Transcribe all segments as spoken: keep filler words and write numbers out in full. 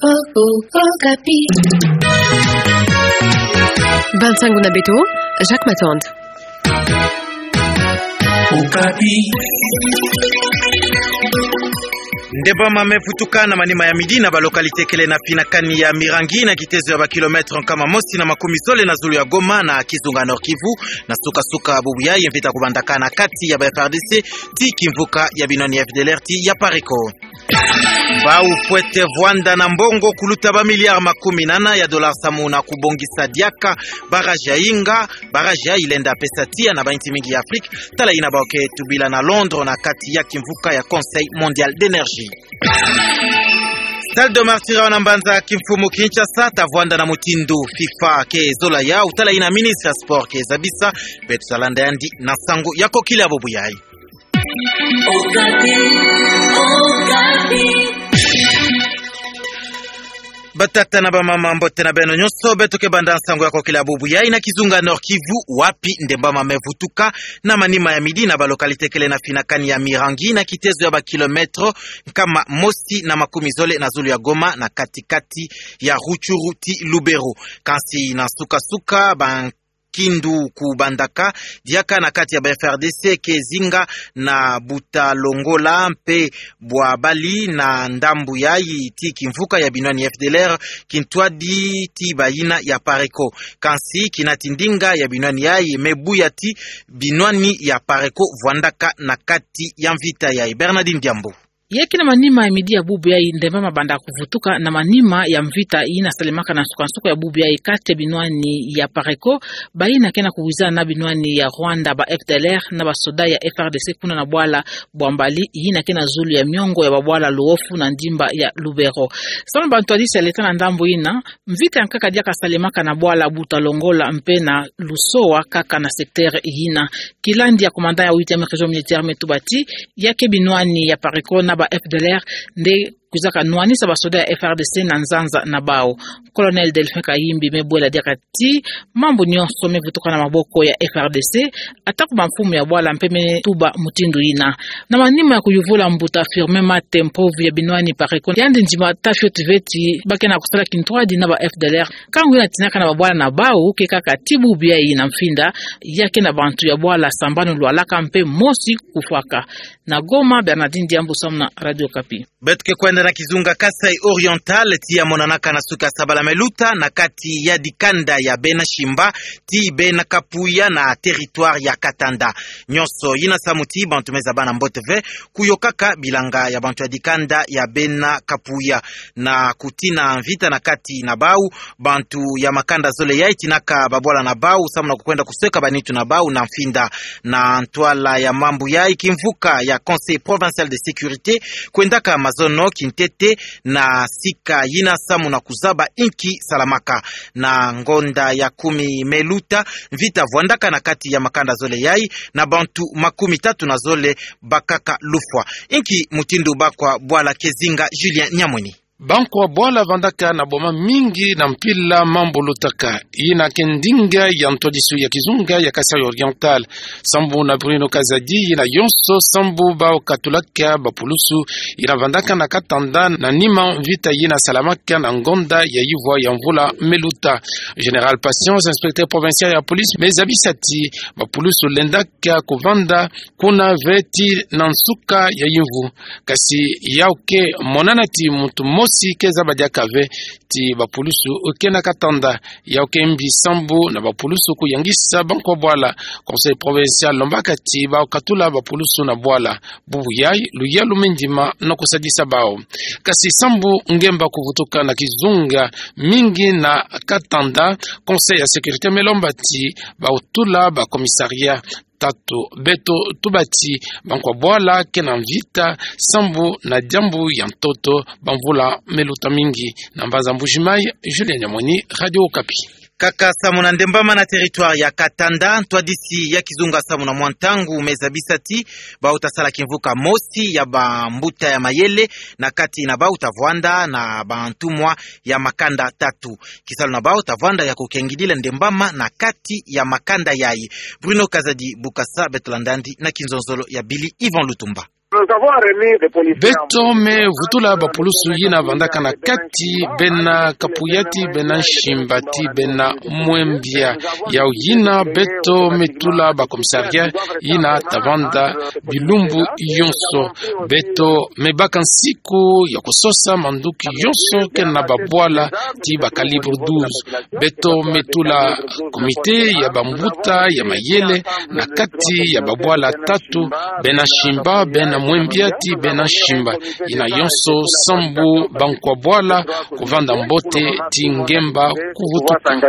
Oh, oh, Okapi. Bansango na beto, Jacques Matand. Okapi. Ndembama me vutuka na manima ya midi na ba localité kele na finakani ya Mirangi na kitezo ya ba kilomètre nkama mosi na makumi zole na zulu ya Goma na kizunga Nord-Kivu, na suka-suka bubu yayi mvita kubandaka na kati ya ba F R D C ti kimvuka ya binwani F D L R ti ya Pareko. Bau fwete vwanda na mbongo kuluta ba milliards makumi nana ya dollars samu na kubongisa diaka barrage ya Inga, barrage yayi lenda pesa tiya na ba insi mingi ya Afrique, tala yina bau ke tubila na Londres na kati ya kimvuka ya Conseil Mondial d'Energie. Stade de Martyrs na mbanza kimfumu Kinshasa ta vwanda na mutindu FIFA ke zola yawu, tala yina ministre ya sport ke zabisa. Beto ta landa yandi na nsangu ya kokila bubu yayi. Okapi, Okapi. Batata na bamama, mbote na beno nyonso. Beto ke banda nsangu ya kokila bubu yayi na kizunga Nord-Kivu, wapi ndembama me vutuka na manima ya midi na ba localité kele na finakani ya Mirangi na kitezo ya ba kilomètre nkama mosi na makumi zole na zulu ya Goma na kati-kati ya Rutshuru ti Lubero. Kansi na suka-suka ba nkindu kubandaka diaka na kati ya ba F R D C ke zinga na Buta Longola mpe Bwabali na ndambu yayi ti kimvuka ya binwani F D L R, kintwadi ti bayina ya Pareko. Kansi kina ti ndinga ya binwani yayi me buya ti binwani ya Pareko vwandaka na kati ya mvita yayi. Bernardine Diambu. Yeke na manima ya midi ya bubu yayi ndembama banda kuvutuka na manima ya mvita yina salemaka na nsuka-nsuka ya bubu yayi kati ya binwani ya Pareko, bayina ke na kuwizana na binwani ya Rwanda, ba F D L R, na basoda ya F R D C kuna na bwala Bwambali, yina ke na zulu ya miongo ya babwala Luofu na ndimba ya Lubero. Samu na bantwadisi ya leta na ndambu yina, mvita ya nkaka diaka salemaka na bwala Buta Longola mpe na Lusowa kaka na secteur yina. Kilandi ya commandant ya huitième région militaire me tuba ti, ya ke binwani ya Pareko na ba F D L R nde kwizaka nwanisa basoda ya F R D C na nzanza na bawu. Colonel Delphin Kayimbi me bwela diaka ti mambu nyonso me vutuka na maboko ya F R D C, atako bamfumu ya bwala mpe me tuba mutindu yina. Na manima ya kuyuvula mbuta Firmin Mate, mpovi ya binwani Pareko, yandi ndima ta fioti ve ti ba ke na kusala kintwadi na ba F D L R. Kangu yina tinaka na babwala na bawu ke kaka ti bubu yayi na mfinda, ya ke na bantu ya bwala sambanu lwalaka mpe mosi kufwaka. Na Goma, Bernardine Diambu samu na Radio Okapi. Beto ke kwenda na kizunga Kasaï Oriental, ti ya monanaka na suka sabala me luta na kati ya dikanda ya bena Shimba ti bena Kapuya na territoire ya Katanda. Nyonso yina samu ti bantu me zaba na mbote ve kuyokaka bilanga ya bantu ya dikanda ya bena Kapuya na kutina mvita na kati na bawu. Bantu ya makanda zole yayi tinaka babwala na bawu samu na kukwenda kusweka banitu na bawu na mfinda. Na ntwala ya mambu yayi, kimvuka ya Conseil Provincial de Sécurité kwendaka mazono kintete na sika yina samu na kuzaba inki salamaka. Na ngonda ya kumi me luta, mvita vwandaka na kati ya makanda zole yayi, na bantu makumi tatu na zole bakaka lufwa. Inki mutindu bankwa bwala ke zinga? Julien Nyamweni. Bankwa bwala vandaka na boma mingi na mpila mambu lutaka. Yina ke ndinga ya ntwadisu ya kizunga ya Kasaï Oriental. Sambu na Bruno Kazadi, yina yonso sambu bau katulaka bapulusu yina vandaka na Katanda na nima mvita yina salamaka na ngonda ya yivwa ya mvula me luta. Général Patience, inspecteur provincial ya police, me zabisa ti bapulusu lendaka kuvanda kuna ve ti na nsuka ya yimvu. Kasi yau ke monana ti muntu mosi ke zaba diaka ve ti bapulusu ke na Katanda. Yau ke mbi sambu na bapulusu kuyangisa bankwa bwala. Conseil provincial lombaka ti bau katula bapulusu na bwala. Bubu yayi, luyalu me ndima na kusadisa bau. Kasi sambu ngemba kuvutuka na kizunga mingi na Katanda, Conseil ya sécurité me lomba ti bau tula ba commissariat. Tatu beto tuba ti bankwa bwala ke na mvita sambu na diambu ya ntoto, bamvula me luta mingi. Na mbanza Mbuji-Mayi, Julien Nyamweni, Radio Okapi. Kaka samu na ndembama na territoire ya Katanda, ntwadisi ya kizunga samu na mwa ntangu me zabisa ti bau ta sala kimvuka mosi ya bambuta ya mayele, na kati na bau ta vwanda na bantumwa ya makanda tatu. Kisalu na bau ta vwanda ya kukengidila ndembama na kati ya makanda yayi. Bruno Kazadi Bukasa, beto landa yandi na kinzonzolo ya Billy Yvon Lutumba. Beto me vutula bapulusu yina vandaka na kati, bena Kapuya ti bena Nsimba ti bena Mwembia. Yau yina beto me tula ba commissariat yina ta vanda bilumbu yonso. Beto me baka nsiku ya kusosa manduki yonso kena babwala ti ba calibre douze. Beto me tula comité ya bambuta ya mayele na kati ya babwala tatu, bena Nsimba, bena Mwembia ti bena Nsimba. Yina yonso sambu bankwa bwala kuvanda mbote ti ngemba kuvutuka.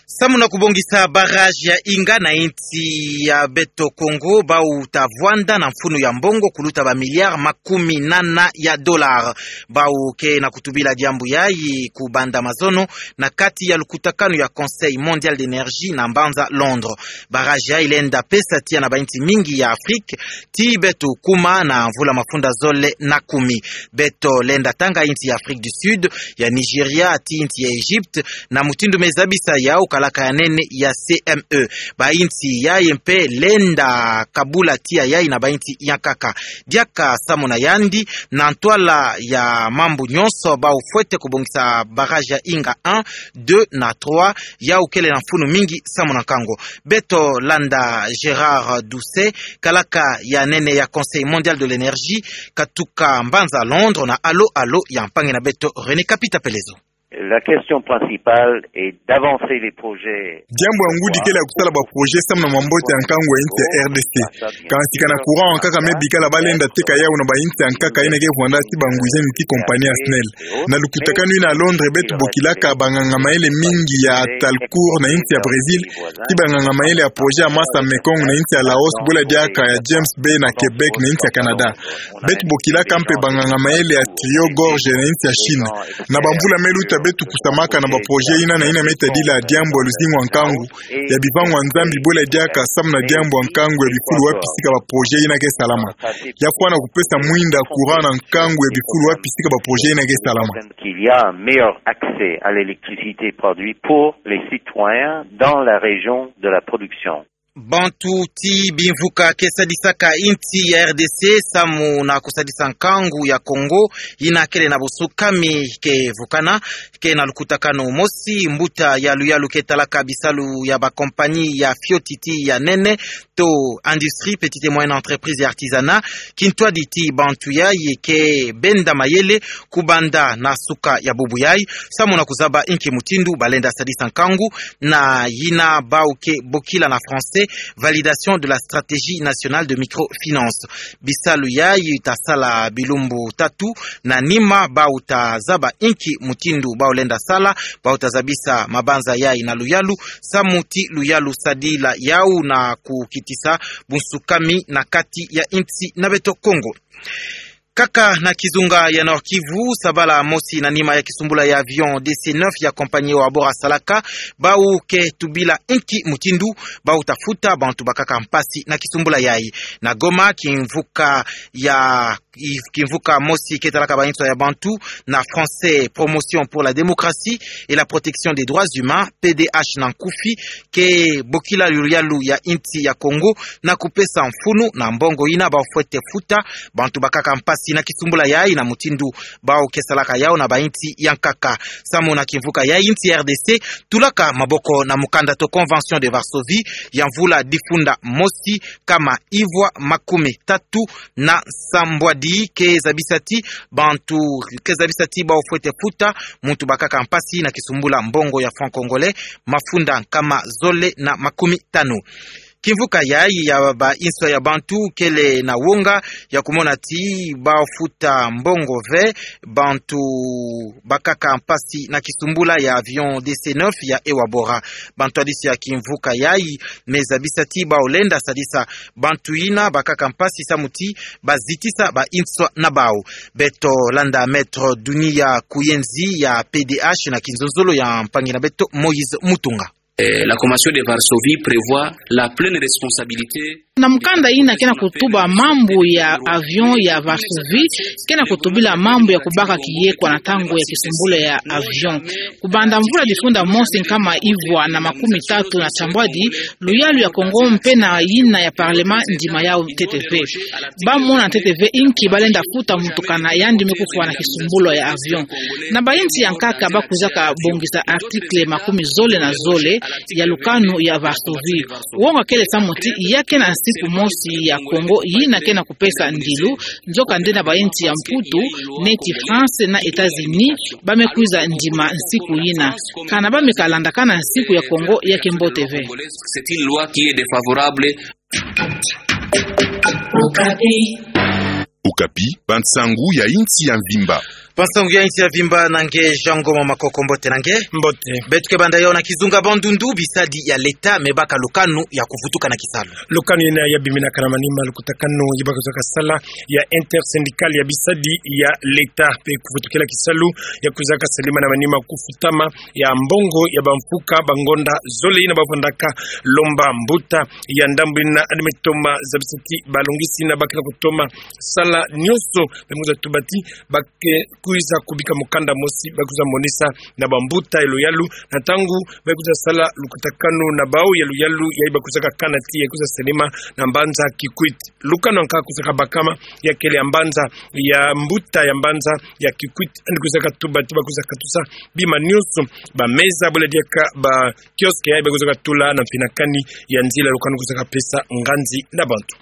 Samu na kubongisa barrage ya Inga na insi ya beto Kongo, bau ta vwanda na mfunu ya mbongo kuluta ba milliards makumi nana ya dollars. Bau ke na kutubila diambu yayi ku banda mazono na kati ya lukutakanu ya Conseil Mondial d'Energie na mbanza Londres. Barrage yayi lenda pesa tiya na ba insi mingi ya Afrique, ti beto kuma na mvula mafunda zole na kumi. Beto lenda tanga insi ya Afrique du Sud, ya Nigeria, ti insi ya Egypte, na mutindu me zabisa yau kalaka ya nene ya C M E. Ba insi yayi mpe lenda kabula tiya yayi na ba insi yankaka. Diaka samu na yandi, na ntwala ya mambu nyonso bau fwete kubongisa barrage ya Inga un, deux na trois, yau kele na mfunu mingi samu na nkangu. Beto landa Gérard Doucet, kalaka ya nene ya Conseil Mondial de l'Energie, katuka mbanza Londres na Allô Allô ya mpangi na beto René Kapita Pelezo. La question principale est d'avancer les projets. Diambu ya ngudi kele ya kusala ba projet samu na mambote ya nkangu ya insi ya R D C. Kansi kana courant kaka me bikala balenda teka yau na ba insi yankaka yina ke vwanda ti ba nguzeni ti compagnie ya SNEL. Na lukutakanu yina Londres beto bokilaka banganga mayele mingi ya Talcourt na insi ya Brésil, ti banganga mayele ya projet ya masa Mekong na insi ya Laos, bola diaka ya James Bay na Québec na insi ya Canada. Beto bokilaka mpe banganga mayele ya Tuyau Gorge na insi ya Chine. Na bamvula me luta beto kusamaka na ba projet yina na yina me tadila diambu ya luzingu ya nkangu, ya bivangu ya Nzambi bola diaka samu na diambu ya nkangu ya bikulu wapi sika ba projet yina ke salama. Ya fwana kupesa mwinda courant na nkangu ya bikulu wapi sika ba projet yina ke salama. Qu'il y a un meilleur accès à l'électricité produite pour les citoyens dans la région de la production. Bantu ti bimvuka ke sadisaka insi ya R D C samu na kusadisa nkangu ya Congo, yina kele na busukami ke vukana, ke na lukutakanu mosi, mbuta ya luyalu ke talaka bisalu ya ba compagnie ya fioti ti ya nene, to industrie, petite et moyenne entreprise et artisanat, kintwadi ti bantu yayi ke benda mayele kubanda na suka ya bubu yayi, samu na kuzaba inki mutindu balenda sadisa nkangu, na yina bau ke bokila na français validation de la stratégie nationale de microfinance. Bisalu yayi ta sala bilumbu tatu, na nima bau ta zaba inki mutindu bau lenda sala, bau ta zabisa mabanza yayi na luyalu, samu ti luyalu sadila yau na kukitisa bunsukami na kati ya insi na beto Congo. Kaka na kizunga ya Nord-Kivu, sabala mosi na nima ya kisumbula ya avion D C neuf ya compagnie Ewabora salaka, bau ke tubila inki mutindu bau ta futa bantu bakaka mpasi na kisumbula yayi. Na Goma, kimvuka ya, kimvuka mosi ke talaka ba inswa ya bantu, na français, Promotion pour la démocratie et la protection des droits humains, P D H na nkufi, ke bokila luyalu ya insi ya Congo na kupesa mfunu na mbongo yina bau fwete futa bantu bakaka mpasi na kisumbula yayi na mutindu bau ke salaka yau na ba insi yankaka. Samu na kimvuka yayi, insi ya R D C tulaka maboko na mukanda to Convention de Varsovie ya mvula difunda mosi kama ivwa makumi tatu na sambwadi, ke zabisa ti bantu, ke zabisa ti bau fwete futa muntu bakaka mpasi na kisumbula mbongo ya franc congolais mafunda nkama zole na makumi tanu. Kimvuka yayi ya ba inswa ya bantu kele na wonga ya kumona ti bau futa mbongo ve bantu bakaka mpasi na kisumbula ya avion D C neuf ya Ewabora. Bantwadisi ya kimvuka yayi me zabisa ti bau lenda sadisa bantu yina bakaka mpasi samu ti bazitisa ba inswa na bau. Beto landa Maître Dunia Kuyenzi ya P D H na kinzonzolo ya mpangi na beto Moïse Mutunga. Eh, la Convention de Varsovie prévoit la pleine responsabilité. Na mukanda yina ke na kutuba mambu ya avion ya Varsovie, ke na kutubila mambu ya kubaka kiye kwa na ntangu ya kisumbulu ya avion. Kubanda mvula difunda mosi nkama ivwa na makumi tatu na tiambwadi, luyalu ya Kongo mpe na yina ya parlement ndima yau ntete ve. Bamona ntete ve inki balenda futa muntu kana yandi me kufwa na kisumbulu ya avion. Na bayinsi ya nkaka bakwizaka bongisa article makumi zole na zole ya lukanu ya Varsovie. Wonga kele samu ti ya ke na nsiku mosi ya Kongo yina ke na kupesa ndilu, nzokande na bayinsi ya Mputu, neti France na États-Unis, ba me kwiza ndima nsiku yina. Kana ba me ka landakana nsiku ya Kongo ya ke mbote ve. C'est une loi qui est défavorable. Okapi, bansangu ya insi ya mvimba. Bansangu ya insi ya mvimba na nge Jean Ngoma Makoko, mbote na nge. Mbote. Beto ke banda yau na kizunga Bandundu, bisadi ya leta me baka lukanu ya kuvutuka na kisalu. Lukanu yina ya biminaka na manima lukutakanu ya bakwizaka sala ya intersyndical ya bisadi ya leta pe kuvutukila kisalu ya kwizaka salima na manima kufutama ya mbongo ya bamfuka bangonda zole yina bavandaka lomba. Mbuta ya ndambu yina yandi me toma zabisa ti balongisi yina ba ke na kutoma sala nyonso, ba me kwiza tuba ti ba ke kwiza kubika mukanda mosi, ba kwiza monisa na bambuta ya luyalu na ntangu ba kwiza sala lukutakanu na bau ya luyalu yayi ba kwizaka kana ti ya kwiza salima na mbanza Kikwit. Lukanu ya nkaka kwizaka bakama ya kele ya mbanza, ya mbuta ya mbanza ya Kikwit, yandi kwizaka tuba ti ba kwiza katusa bima nyonso, bameza, bole diaka ba kiosque yayi ba kwizaka tula na mfinakani ya nzila. Lukanu kwizaka pesa nganzi na bantu.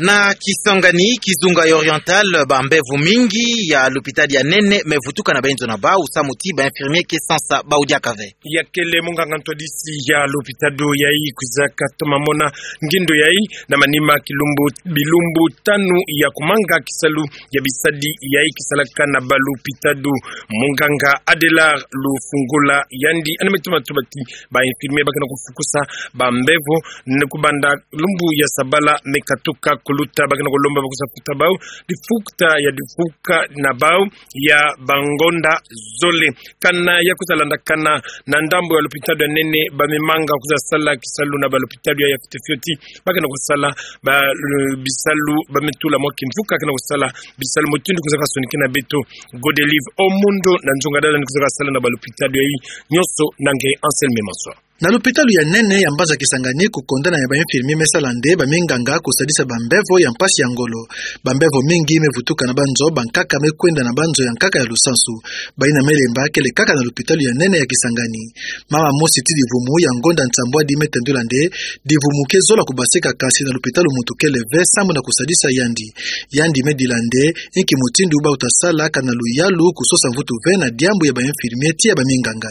Na Kisangani, kizunga ya Oriental, bambevo mingi ya lupitalu ya nene me vutuka na bayinzo na bau, samu ti ba infirmier ke sansa bau diaka ve. Ya kele munganga ntwadisi ya lupitalu yayi kwizaka toma mona ngindo yayi na manima kilumbu, bilumbu tanu ya kumanga kisalu ya bisadi yayi kisalaka na balupitalu. Munganga Adelar Lufungula yandi yandi me toma tuba ti ba infirmier ba ke na kufukusa bambevo, ni kubanda lumbu ya sabala me katuka kuluta, ba ke na kulomba ba kwiza futa bau difukuta ya difuka na bau ya bangonda zole. Kana ya kwiza landakana na ndambu ya lupitalu ya nene, ba me manga kwiza sala kisalu na balupitalu ya fioti fioti, ba ke na kusala ba, eh, bisalu, ba me tula mwa kimvuka ke na kusala bisalu. Mutindu kwizaka sonikina beto Godelive Omundo na nzunga dada ni kwizaka sala na balupitalu yayi nyonso na nge Anselme Maswa. Na lupitalu ya nene ya mbanza Kisangani, kukondana ya ba infirmier me sala nde baminganga kusadisa bambevo ya mpasi ya ngolo. Bambevo mingi me vutuka na banzo, bankaka me kwenda na banzo ya nkaka ya lusansu. Bayina me lemba kele kaka na lupitalu ya nene ya Kisangani. Mama mosi ti divumu ya ngonda nsambwadi me tendula nde divumu ke zola kubasika, kansi na lupitalu muntu kele ve samu na kusadisa yandi. Yandi me dila nde inki mutindu bau ta sala kana luyalu kusosa mvutu ve na diambu ya ba infirmier ti ya baminganga.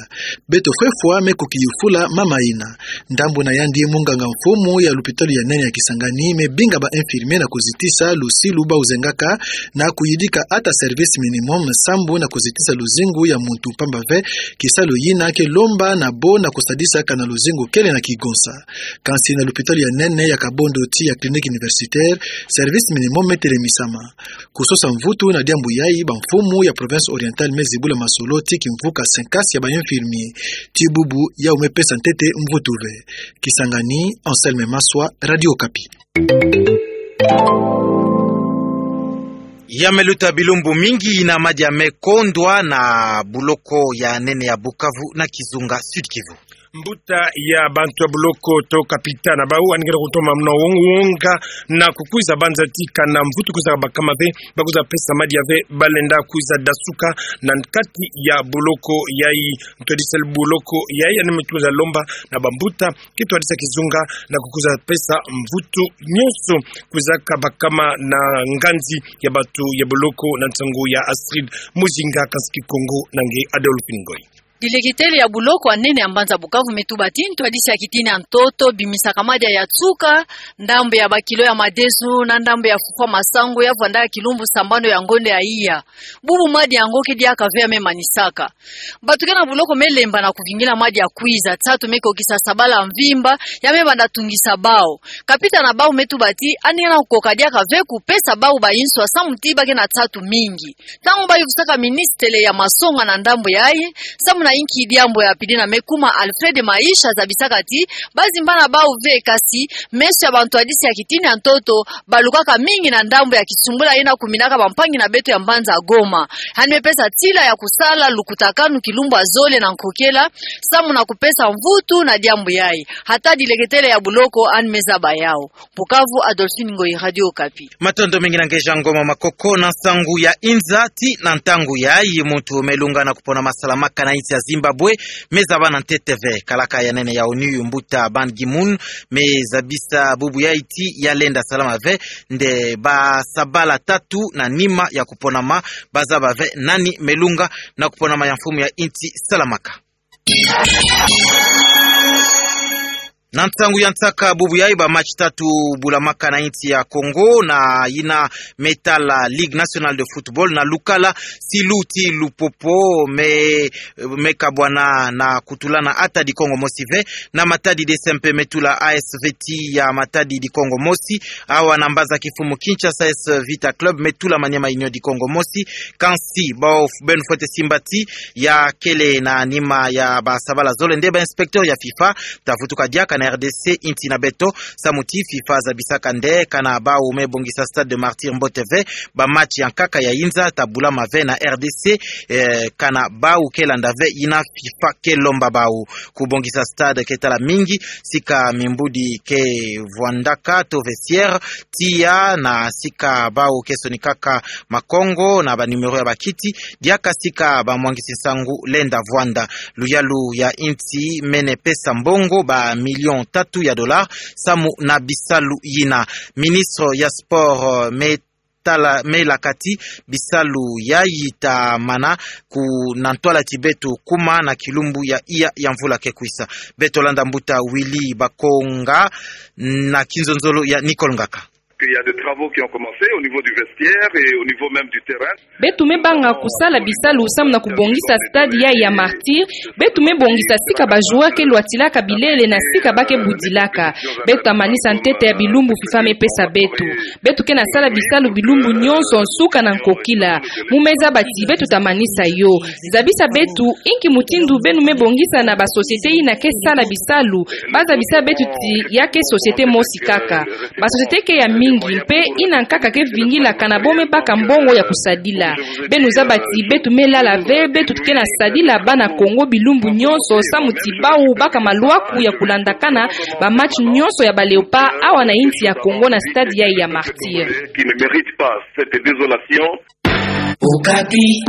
Beto Fwefwa me kukiyufula mama yina. Ndambu na yandi, munganga mfumu ya lupitalu ya nene ya Kisangani me binga ba infirmier na kuzitisa lusilu bau zengaka na kuyidika ata service minimum sambu na kuzitisa luzingu ya muntu mpamba ve. Kisalu yina ke lomba na bo na kusadisa kana luzingu kele na kigonsa. Kansi na lupitalu ya nene ya Kabondo ti ya clinique universitaire, service minimum me telemisama. Kusosa mvutu na diambu yayi, bamfumu ya province orientale me zibula masolo ti kimvuka senkasi ya ba infirmier. Ti bubu yau me pesa ntete mvutu ve. Kisangani, Anselme Maswa, Radio Okapi. Ya me luta bilumbu mingi yina madia me kondwa na buloko ya nene ya Bukavu na kizunga Sud-Kivu. Mbuta ya bantu ya buloko to kapita na bau yandi ke na kutoma muna wong-, wonga na kukwiza banza ti kana mvutu kwiza bakama ve, ba kwiza pesa madia ve, balenda kwiza dasuka na kati ya buloko yayi. Ntwadisi ya buloko yayi yandi me kwiza lomba na bambuta ki twadisa kizunga na kukwiza pesa mvutu nyonso kwizaka bakama na nganzi ya bantu ya buloko na nsangu ya Astrid Muzinga, kansi Kikongo na nge Adolphine Ngoy. Dilekitele ya buloko ya nene ya mbanza Bukavu me tuba ti ntwadisi ya kitini ya ntoto bimisaka madia ya nsuka, ndambu ya bakilo ya madesu na ndambu ya fufwa masangu ya vwandaka kilumbu sambanu ya ngonda ya iya. Bubu madia yango ke diaka ve ya me manisaka. Bantu ke na buloko me lemba na kuvingila madia kwiza, nsatu me kokisa sabala mvimba, ya me banda tungisa bau. Kapita na bau me tuba ti yandi ke na kukoka diaka ve kupesa bau bayinswa samu ti ba ke na nsatu mingi. Ntangu ba yuvusaka ministele ya masonga na ndambu yayi, samu na Inki diambu ya pili na me kuma Alfred Maisha zabisaka ti, bazimbana bau ve kasi, meso ya bantwadisi ya kitini ya ntoto, balukaka mingi na ndambu ya kisumbula yina kuminaka bampangi na beto ya mbanza Goma. Hani me pesa tila ya kusala lukutakanu kilumbu ya zole na nkokela, samu na kupesa mvutu na diambu yayi. Hata dileketele ya buloko, hani me zaba yau. Bukavu, Adolphine Ngoyi, Radio Okapi. Matondo mingi na ngeja ngoma makoko na nsangu ya inza. Ti na ntangu yayi muntu me lunga na kupona ma salamaka na insi ya Zimbabwe, me zaba na ntete ve. Kalaka ya nene ya ONU, mbuta Ban Ki-moon, me zabisa bubu yayi ti ya lenda salama ve nde basabala tatu na nima ya kuponama, bazaba ve nani me lunga na kuponama ya mfumu ya insi salamaka. Na nsangu ya nsaka bubu yayi, ba match tatu bulamaka na insi ya Congo, na yina me tala Ligue Nationale de Football, na lukala Silu ti Lupopo me, me kabwana na kutulana ata di Kongo Mosi ve, na Matadi D C M P me tula A S Vita ya Matadi di Kongo Mosi, awa na mbaza kifumu Kinshasa, A S Vita Club me tula Maniema Union di Kongo Mosi. Kansi, bau f-, beno fwete simba ti ya kele na nima ya basabala zole nde ba inspecteur ya FIFA ta vutuka diaka na R D C, insi na beto, samu ti FIFA zabisaka nde kana bau me bongisa Stade des Martyrs mbote ve, ba match ya nkaka ya inza ta bulama ve na R D C, eh, kana bau ke landa ve yina FIFA ke lomba bau. Kubongisa stade ke tala mingi, sika mimbudi ke vwandaka to vestiaire, tiya na sika bau ke sonikaka makongo na ba numéro ya bakiti, diaka sika bamwangisi nsangu lenda vwanda. Luyalu ya insi mene pesa mbongo ba million tatu ya dollar samu na bisalu yina. Ministre ya sport, eh, me tala, me laka ti bisalu yayi ta mana ku na ntwala ti beto kuma na kilumbu ya iya ya mvula ke kwisa. Beto landa mbuta Willy Bakonga na kinzonzolo ya Nicole Ngaka. Il y a des travaux qui ont commencé au niveau du vestiaire et au niveau même du terrain. Beto me banga kusala bisalu samu na kubongisa stade yayi ya Martyrs. Beto me bongisa sika ba joueurs ke lwatilaka bilele na sika ba ke budilaka. Beto ta manisa ntete ya bilumbu FIFA me pesa beto. Beto ke na sala bisalu bilumbu nyonso nsuka na nkokila. Mu me zaba ti beto ta manisa yo. Zabisa beto inki mutindu beno me bongisa na ba société yina ke sala bisalu. Ba zabisa beto ti ya ke société mosi kaka. Ba société ke ya mingi, mpe yina nkaka ke vingila kana bo me baka mbongo ya kusadila. Beno zaba ti beto me lala ve, beto ke na sadila bana Kongo bilumbu nyonso samu ti bau baka malwaku ya kulandakana ba match nyonso ya ba Léopards awa na insi ya Kongo na stade yayi ya Martyrs. Qui ne mérite pas cette désolation. Okapi.